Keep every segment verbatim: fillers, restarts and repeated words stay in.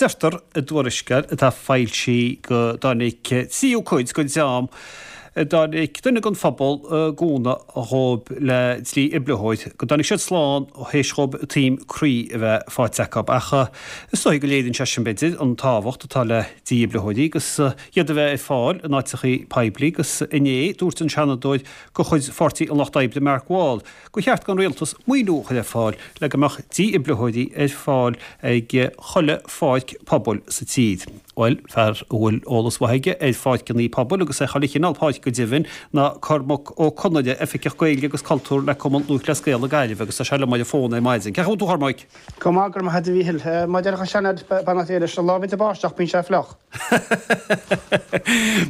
Deirtear i dtuarascáil atá foilsithe go dtáinig tríú cuid den dream a dtáinig duine den phobal i gcúnamh dhóibh le dífhibritheoir, go dtáinig siad slán théis dhóibh taom croí a bheith faighte acu. Ach is dóigh go léiríonn sé sin b'fhéidir an tábhacht atá le dífhibritheoirí agus iad a bheith ar fáil in áiteachaí poiblí agus inné dúirt an Seanadóir de chuid Pháirtí an Lucht Oibre Mark Wall gur cheart don rialtas maoiniú a chur ar fáil le go mbeadh dífhibritheoirí ar fáil ag chuile pháirc pobail sa tír. Bhuel, fear a bhfuil eolas mhaith aige ar pháirceanna pobail agus ar chuile chineál páirc go deimhin ná Cormac Ó Conaire, Oifigeach Gaeilge agus Cultúr le Cumann Lúthchleas Gael na Gaillimhe agus tá sé liom ar an bhfón ar maidin. Cén chaoi a bhfuil tú a Chormaic? Go maith, go raibh maith agat a Mhíchíl. Mar a déarfadh an seanfhear, beannacht Dé leis, an lá a bhíonns ag báisteach bíonn sé fliuch.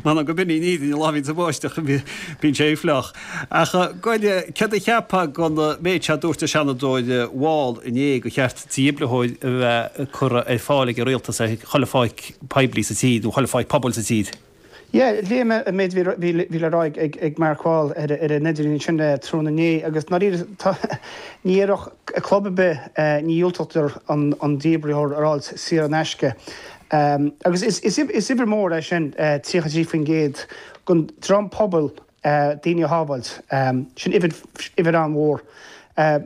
M'anam go b'in í an fhírinne, an lá a bhíonns ag báisteach bíonn sé fliuch. Ach gabh i leith, céard a cheapfá den méid seo a dúirt an Seanadóir Wall inné gur cheart dífhibritheoir a bheith curtha ar fáil ag an rialtas ar chuile pháirc poiblí sa tír nó chuile pháirc pobail sa tír? Yeah, léigh mé an méid a bhí bhí le rá ag ag Mark Wall ar ar an idirlíon sin tráthnóna inné agus ndáiríre tá ní dhéarfadh club ar bith ní dhiúltódar an an dífhibritheoir a fháil saor in aisce. Agus is is is uimhir mhór é sin tríocha trí faoin gcéad den dream pobail daoine a shábháilt. Sin uimhir uimhir an-mhór.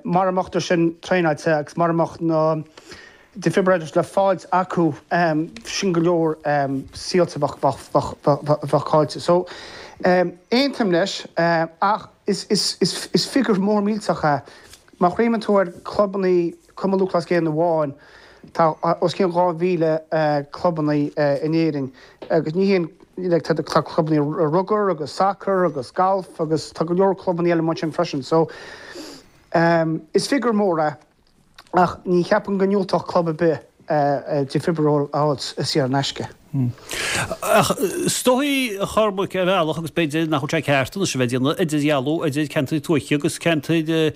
Mara mbeadh sin traenáilte agus mara mbeadh na defibrillators le fáilt acu sin go leor saolta bheadh caillte. So aontaím leis ach is is is is figiúr mór millteach é. Má chuimhníonn tú ar clubanna Cumann Lúthchleas Gael amháin tá os cionn dhá mhíle clubanna in Éirinn agus ní haon like, tá tá clubanna rugar agus soccer agus golf agus tá go leor clubanna eile mar sin freisin. So um, is figiúr mór é ach ní cheapaim go ndiúltódh club ar bith defibrillator a fháilt saor in aisce. Ach is dóigh a Chormaic ar bhealach agus b'fhéidir nach bhfuil sé ceart anois a bheith ag déanamh idirdhealú idir ceantair tuaithe agus ceantair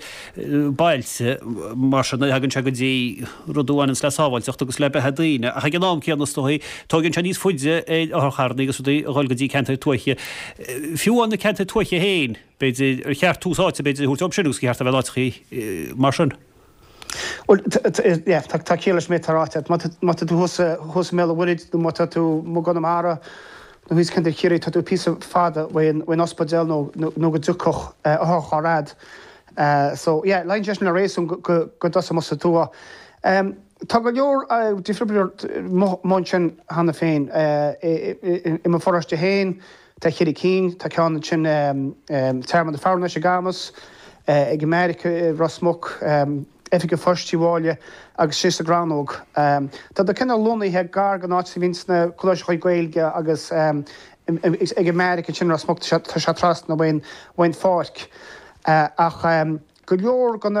bailte mar sin nuair a thagann sé go dtí rud a bhaineanns le sábháilteacht agus le beatha daoine. Ach ag an am céanna is dóigh tógann sé níos faide ar otharcharranna agus rudaí a dhul go dtí ceantair tuaithe. Fiú amháin na ceantair tuaithe féin, b'fhéidir ar cheart tús áite b'fhéidir a thabhairt dóibh sin agus gur cheart a bheith in áiteachaí mar sin. Well yeah, tá tá ciall leis an méid atá ráite. Má má tá tú thuas thuas i mBéal an Mhuirthead nó má tá tú i gConamara nó thíos Ceantar Chiarraí tá tú píosa fada uaidh uaidh ospidéal nó nó go dtiocfadh otharcharr a'd. So yeah, luíonn sé sin le réasún go go go dtosódh sa tuath. Um, tá go leor defibrillator amuigh ansin cheana féin i mo pharóiste féin, tá ceithre cinn, tá ceann ansin Tearmann na Fearnais i gCamus, ag America Ros Muc, Oifig an Phoist Tí Bháile agus sé sa gCrannóg. Tá do cineál lonnaithe gar don áit a bhíonn sna coláistí Gaeilge agus ag America sin Ros Muc tá sé trasna ón ón pháirc ach go leor den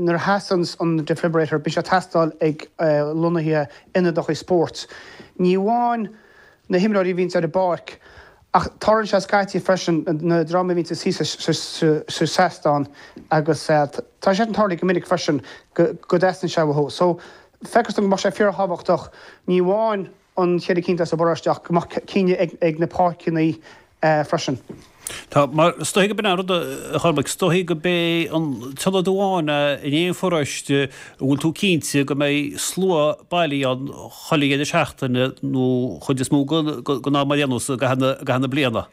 nuair a sheasann an defibrillator bíonn sé ag teastáil ag lonnaithe ionadacha spóirt. Ní amháin na himreoirí a bhíonn ar an bpáirc ach tarlaíonn sé scaití freisin na dream a bhíonn sa seastán agus tá sé an tarlaí go minic freisin go dteastaíonn sé uathu. So feictear dom go mbeadh sé fíorthábhachtach ní amháin an cheithre cinn sa bparóiste ach go mbeadh cinn ag na páirceanna freisin. Tá mar is dóigh go b'in an rud a Chormaic, is dóigh go b'é an t-ionad amháin in aon pharóiste a bhfuil tú cinnte go mbeidh slua bailí ann chuile dheireadh seachtaine nó chuid is mó den am ar aon nós i gcaitheamh na bliana.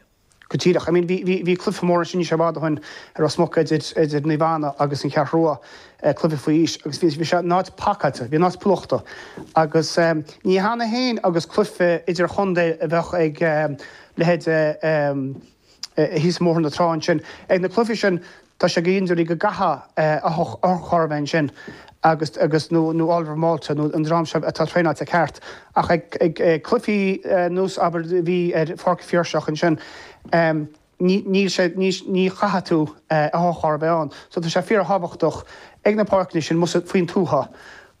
Go díreach. I mean bhí bhí cluiche mór sin sé i bhfad ó shin ar Ros Muc idir idir Naomh Anna agus an Cheathrú Rua cluiche faoi aois agus bhí bhí sé an áit pacáilte, bhí an áit plúchta agus ní cheana féin agus cluiche idir chontae a bheadh ag leithéid thíos Bóthar na Trá ansin. Ag na cluichí sin tá sé go hiondúil go gcaithfidh otharcharr a bheith ansin agus agus nó nó Oliver Malta nó an dream seo atá traenáilte ceart ach ag ag cluichí nós abair bhí ar Pháirc Phiarsach ansin níl sé ní chaithfidh tú otharcharr a bheith ann. So tá sé fíorthábhachtach ag na páirceanna sin mus faoin tuath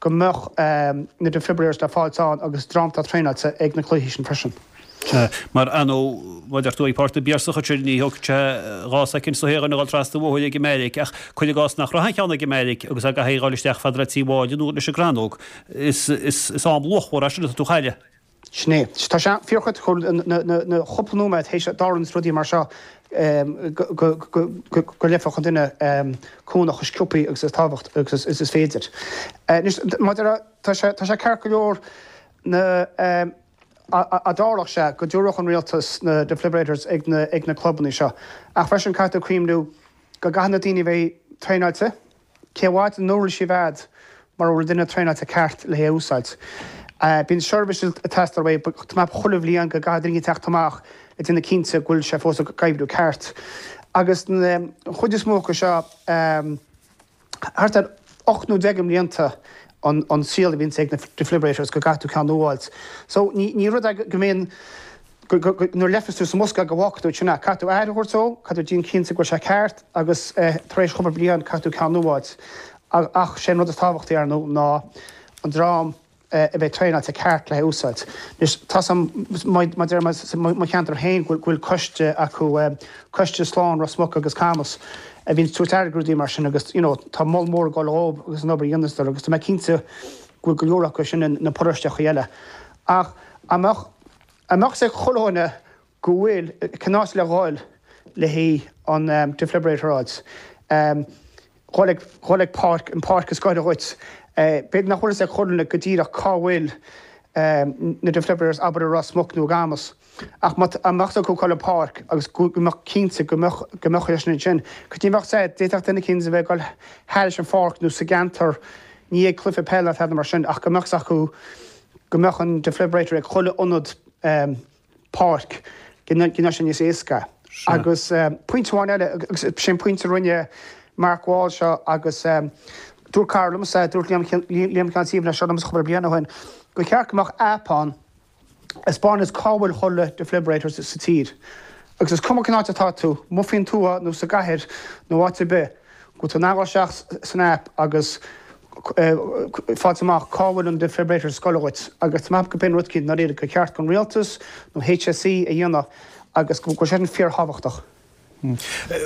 go mbeadh na defibrillators le fáilt ann agus dream atá traenáilte ag na cluichí sin freisin. Mar anó má deir tú ag Páirc na bPiarsach ansin ní thógfaidh sé dhá soicind sa shaol a dhul trasna an bhóthair ag an mbeairic ach cuir i gcás nach raibh aon cheann ag an mbeairic agus a gcaithfidh a dhul isteach fad le Tí Bháile nó leis an gCrannóg. Is is is am luachmhar é sin atá tú a chailleadh. Sin é. Tá sé fíorchriticiúil na chúpla nóiméad théis dtarlaíonn rudaí mar seo go go leigfeadh an duine cúnamh chomh sciobtha agus is tábhacht agus is féidir. Anois maidir le tá sé tá sé ceart go leor na a dtarlódh sé go dtabharfadh an rialtas na defibrillators ag na ag na clubanna seo. Ach freisin caithfidh tú cuimhniú go gcaithfidh na daoine a bheith traenáilte, cé mhaith an uirlis a bheith agat mura bhfuil duine traenáilte ceart le hé a úsáid. Bíonn seirbhís ag teastáil uaidh, tá mé chuile bhliain go gcaithfidh daoine teacht amach le déanamh cinnte go bhfuil sé fós ag oibriú ceart. Agus an chuid is mó acu seo, thart ar ocht nó deich mblianta an saol a bhíonns ag na defibrillators go gcaithfidh tú ceann nua a fháilt. So ní rud é go mbíonn, nuair a leigfeas tú sa mbosca go bhfágfaidh tú ansin é. Caithfidh tú aire a thabhairt dó, caithfidh tú déanamh cinnte go bhfuil sé ceart agus tar éis cúpla bliain caithfidh tú ceann nua a fháilt. Ach sé an rud is tábhachtaí ar ndóigh ná an dream a bheith traenáilte ceart le húsáid. Anois tá 's a'm mar deir mé sa mo cheantar féin go bhfuil coiste acu, Coiste Slán Ros Muc agus Camas, a bhíonn ag tabhairt aire do rudaí mar sin agus you know tá moladh mór ag dul dhóibh agus an obair a dhéanas siad agus tá mé cinnte go bhfuil go leor acu sin na paróisteachaí eile. Ach a mbeadh a mbeadh 's ag chuile dhuine go bhfuil cén áit le dhul le haghaidh an defibrillator a fháilt. Dhul ag dhul ag páirc, an páirc is gaire dhuit. B'fhéidir nach bhfuil fhios ag chuile dhuine go díreach cá bhfuil na defibrillators abair i Ros Muc nó i gCamas. Ach má dá mbeadh acu dhul ag páirc agus go mbeadh cinnte go mbeadh go mbeadh sé sin ansin. Cos ní bheadh sé, d'fhéadfadh duine eicínt a bheith ag dul thairis an pháirc nó sa gceantar, ní ag cluiche peile ná tada mar sin ach go mbeadh 's acu go mbeadh an defibrillator ag chuile ionad páirc go ndéanfadh sé níos éasca. Agus pointe amháin eile, agus sin pointe a rinne Mark Wall seo agus dúirt cara liomsa, dúirt Liam Liam Ceann Suíomh leis seo liomsa cúpla bliain ó shin, gur cheart go mbeadh aip ann a 'spáineas cá bhfuil chuile defibrillator sa tír. Agus is cuma cén áit atá tú, amuigh faoin tuath nó sa gcathair nó áit ar bith, go bhfuil tú in ann dul isteach san aip agus fáilt amach cá bhfuil an defibrillator is gaire dhuit agus tá mé ag ceapadh go b'in rud eicínt ndáiríre gur cheart don rialtas nó HSE a dhéanamh agus go bhfuil sé sin fíorthábhachtach.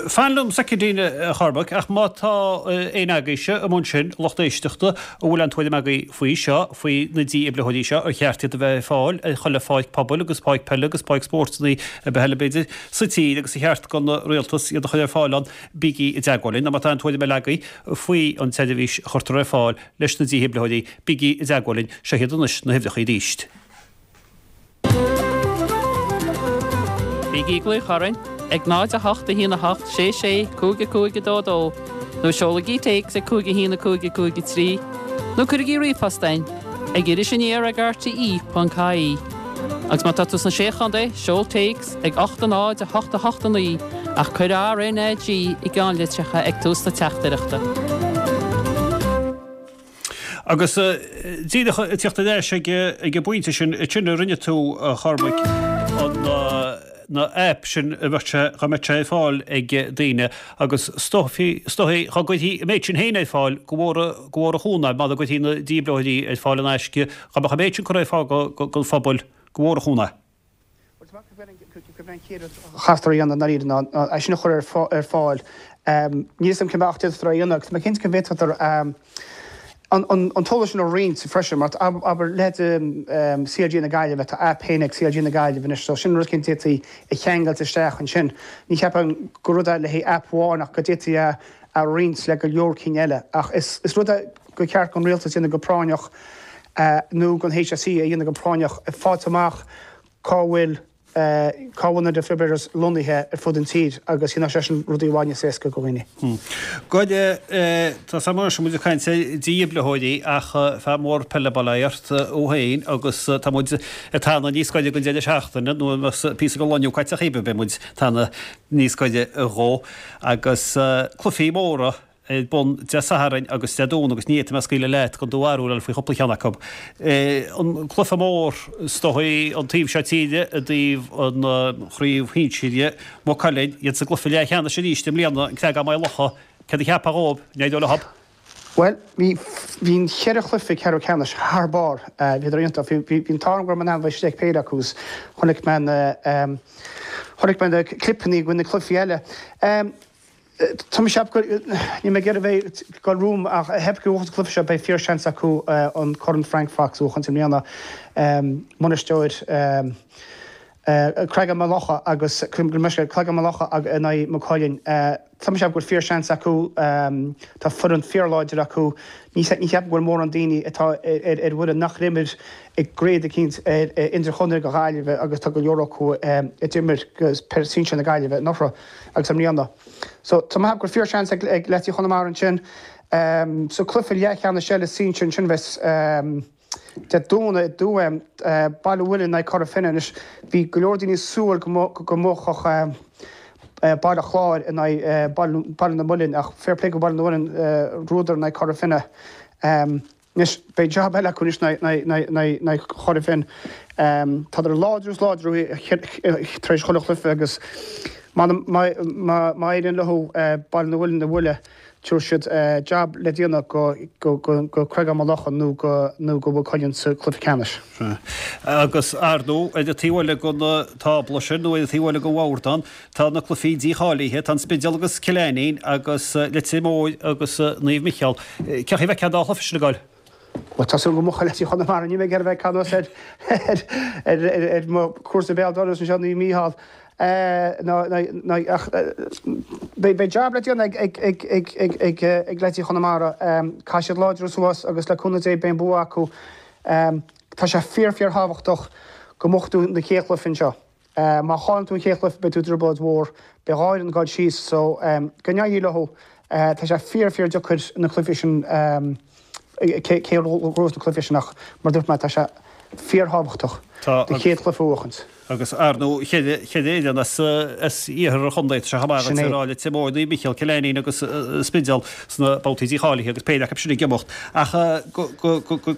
Fan liom soicindín a Chormaic, ach má tá éinne agaibhse amuigh ansin, lucht éisteachta, a bhfuil aon tuairim agaibh faoi seo, faoi na dífhibritheoirí seo, ar cheart iad a bheith ar fáil ar chuile pháirc pobail agus páirc peile agus páirc spóirt ar bith eile b'fhéidir, sa tír agus ar cheart don rialtas iad a chur ar fáil ann, bígí i dteagmháil linn. Nó má tá aon tuairim eile agaibh faoi an tseirbhís a chuirtear ar fáil leis na dífhibritheoirí, bígí i dteagmháil linn. Seo iad anois na huimhreacha arís. Bígí ag glaoch orainn ag náid a hocht a haon a hocht sé sé cúig a cúig a dó dó nó seolaigí téacs ag cúig a haon a cúig a cúig a trí nó cuirigí ríomhphost chugainn ag Iris Aniar ag rte ponc ie. Agus má tá tú sna Sé Chontae, seol téacs ag ocht a náid a hocht a hocht a naoi ach cuir RnaG i gceannlitreacha ag tús na teachtaireachta. Agus díreach ag teacht ar ais ag an bpointe sin, sin a rinne tú, a Chormaic, an na aip sin a bheadh sé, dá mbeadh sé ar fáil ag daoine agus is dóichí, is dóichí, dá gcuirfí an méid sin féin ar fáil go mhór, go mhór an chúnamh é, má dá gcuirfí na dífhibritheoirí ar fáil in aisce, dá mbeadh an méid sin curtha ar fáil don phobal, go mhór an chúnamh é. Bhuel, tá mé ag ceapadh gurb é an chéad rud a chaithfear a dhéanamh i ndáiríre ná é sin a chur ar fáil. Níl 'fhios a'm cén bealach a d'fhéadfadar é a dhéanamh agus tá mé cinnte go bhféadfadar an t-eolas sin a roinnt freisin mar abair leithéid CLG na Gaillimhe, tá aip féin ag CLG na Gaillimhe anois so sin rud eicínt a d'fhéadfaí a cheangailt isteach ansin. Ní cheapaim gur rud é le haghaidh aip amháin ach go d'fhéadfaí é a roinnt le go leor cinn eile. Ach is rud é gur cheart don rialtas a dhéanamh go práinneach nó don HSE a dhéanamh go práinneach, fáilt amach cá bhfuil cá bhfuil na defibrillators lonnaithe ar fud an tír agus dhéanfadh sé sin rudaí i bhfad níos éasca do dhaoine. Goide, tá 's agam anois muid ag caint ar dhífhibritheoirí ach fear mór peile ab ea thú féin agus tá muid ag teannadh níos gaire don deireadh seachtaine nó an mbeadh píosa den lá inniu caite chaoimhe beidh muid ag teannadh níos gaire dhó agus cluichí móra ar bun Dé Sathairn agus Dé Domhnaigh agus ní fhéadfaidh mé scaoileadh leat gan do bharúil a fháil faoi chúpla ceann acu. An cluiche mór is dóigh an taobh seo tíre i dtaobh an chraobh shinsir, Maigh Cuilinn, iad sa gcluiche leathcheannais arís i mbliana, an Creagán Maigh Locha, céard a cheapfá dhóibh, an éireoidh leo? Bhuel, bhí, bhí an cheithre chluiche ceathrú ceannais thar barr, bhíodar iontach. Bhí, bhí, bhí an t-ádh orm go raibh mé in ann bheith istigh ag péire acu agus chonaic mé na, chonaic mé na clipeanna de na cluichí eile. Tá mé ag ceapadh go, níl mé ag iarraidh bheith ag dul romham ach cheapfainn go bhuafadh an cluiche seo, beidh fíor-seans acu an Corn Frank Fox a bhuachaint i mbliana. Bainisteoir Creagán Maigh Locha agus Creagán Maigh Locha in aghaidh Maigh Cuilinn. Tá mé ag ceapadh go bhfuil fíorsheans acu, tá foireann fíorláidir acu. Ní cheapaim go bhfuil mórán daoine atá ar ar bhfoireann nach imir i gcraobh eicínt idirchontae go Gaillimhe agus tá go leor acu a d'imir peil sinsir na Gaillimhe anuraidh agus i mbliana. So tá mé ag ceapadh go bhfuil fíorsheans ag leaidí Chonamara ansin. Sa cluiche leathcheannais eile sinsir ansin bheas Dé Domhnaigh i dTuaim, Baile an Mhuilinn in aghaidh Cora Finne anois. Bhí go leor daoine ag súil go mbuafadh Baile Chláir in aghaidh Baile na Muilinn ach fair play go Baile na Muilinn, bhuadar in aghaidh Cora Finne. Anois beidh jab eile acu anois in aghaidh Chora Finne. Tádar láidir is láidir tar éis chuile chluiche agus má éiríonn leo Baile na Muilinn a bhualadh, Tabharfaidh siad jab le déanamh go Creagán Maigh Locha nó go nó go Maigh Cuilinn sa chluiche ceannais. Agus, ar ndóigh, ar an taobh eile den tábla sin, nó ar an taobh eile den bhord, tá na cluichí dícháilithe, tá an Spidéal agus Cill Ainnín agus Leitir Móir agus Naomh Micheál. Cén chaoi a bhfeicfeá an dá chluiche sin ag goil? Bhuel, tá súil go mbuafaidh leaidí Chonamara, níl mé ag iarraidh a bheith ag caint anuas ar ar mo chúrsa béal dorais anseo, Naomh Mícheál. Ach beidh jab le déanamh ag leaidí Chonamara. Caithfidh siad láidriú suas agus le cúnamh Dé beidh an bua acu. Tá sé fíor fíor thábhachtach go mbuafaidh tú na chéad chluiche anseo. Má chailleann tú an chéad chluiche beidh tú i dtrioblóid mhór. Beidh dhá fhoireann ag dul síos so go n-éirí leo. Tá sé fíor fíor deacair na cluichí sin cé a bhuafas na cluichí sin ach mar dúirt mé tá sé fíorthábhachtach do chéad chluiche a bhuachaint. Agus ar ndóigh ceithre fhoireann as iarthar an chontae, tá sé chomh maith agat a rá Leitir Móir, Naomh Micheál, Cill Ainnín agus Spidéal sna babhtaí dícháilithe agus péire acu sin ag imeacht. Ach go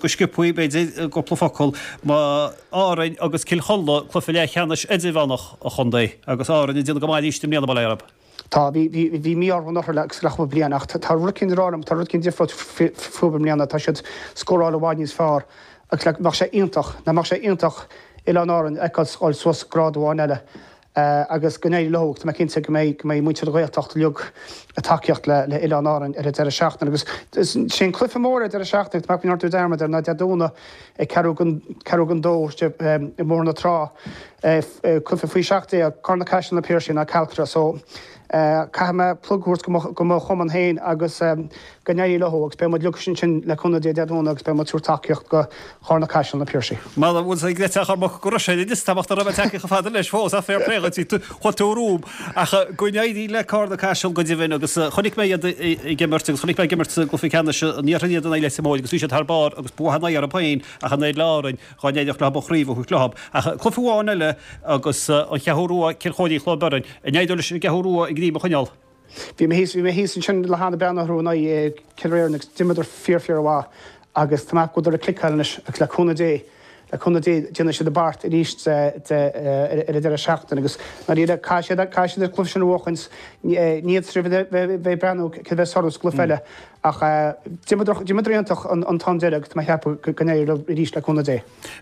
sciobtha b'fhéidir i gcúpla focal, má Árainn agus Cill Chonla, cluiche leathcheannais idirmheánach an chontae agus Árainn ag déanamh go maith arís i mbliana, bail ó Dhia orthu. Tá, bhí, bhí, bhí mí-ádh orthu anuraidh agus le cúpla bliain ach tá rud eicínt ar Árainn, tá rud eicínt difriúil fúthu i mbliana, tá siad scóráil i bhfad níos fearr agus like bheadh sé iontach, nach mbeadh sé iontach Oileáin Árann a fheiceáil ag dul suas grád amháin eile agus go n-éirí leo agus tá mé cinnte go mbeidh, go mbeidh muintir na Gaeltachta uilig ag tacaíocht le, le Oileáin Árann ar an deireadh seachtaine agus sé an cluiche mór ar an deireadh seachtaine, tá mé ag déanamh dearmad air ná Dé Domhnaigh ag ceathrú don, ceathrú don dó i mBóthar na Trá. Cluiche faoi seacht déag, Carna Caiseal Na Piarsaigh in aghaidh Caltra so caithfidh mé plug a thabhairt go mo chumann féin agus go n-éirí leo agus beidh muid uilig ansin le cúnamh Dé Dé Domhnaigh agus beidh muid ag tabhairt tacaíocht go Charna Caiseal Na Piarsaigh. Mara bhfuil sé ag Cormac go raibh sé níos tábhachtaí a bheith tagtha chomh fada leis fós ach fair play dhuit, chuaigh tú romham. Ach go n-éirí le Carna Caiseal go deimhin agus chonaic mé iad ag imirt agus chonaic mé ag imirt sa gcluiche ceannais an iarthair iad in aghaidh Leitir Móir agus bhí siad thar barr agus bua in aghaidh orthu féin ach in aghaidh le Árainn dhá n-éireodh leo an chraobh a thabhairt leo. Ach cluiche amháin eile agus an Cheathrú Rua, Cill Chóirín, Cloich Bheirn. An éireoidh leis an gCeathrú Rua a ngreim a choinneáil? Bhí mé thíos, bhí mé thíos ansin le hAnna breathnú orthu in aghaidh Cill Réireann agus d'imríodar fíor fíor mhaith agus tá mé ag ceapadh go bhfuileadar ag cliceáil anois agus le cúnamh Dé, le cúnamh Dé déanfaidh siad a bpáirt arís de, de, ar an deireadh seachtaine agus ndáiríre caithfidh siad, caithfidh siad an cluiche sin a bhuachaint, ní fhéadfaidh siad bheith ag breathnú cé a bheas orthu sa gcluiche eile Ach d'imríodar iontach an t-am deiridh agus tá mé ag ceapadh go n-éireoidh leo arís le cúnamh Dé.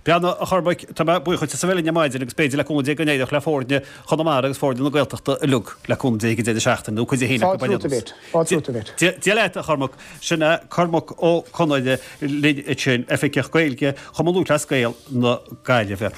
Breathnaigh, a Chormaic, tá mé buíoch duit as a bheith linn ar maidin agus b'fhéidir le cúnamh Dé go n-éireodh le foirne Chonamara agus foirne na Gaeltachta uilig le cúnamh Dé ag an deireadh seachtaine nó cuid a haon acu Fáilte romhat a Mhéit. Fáilte romhat a Mhéit. Dia leat, a Chormaic. Sin é Cormac Ó Conaire linn ansin, Oifigeach Gaeilge Chumann Lúthchleas Gael na Gaillimhe.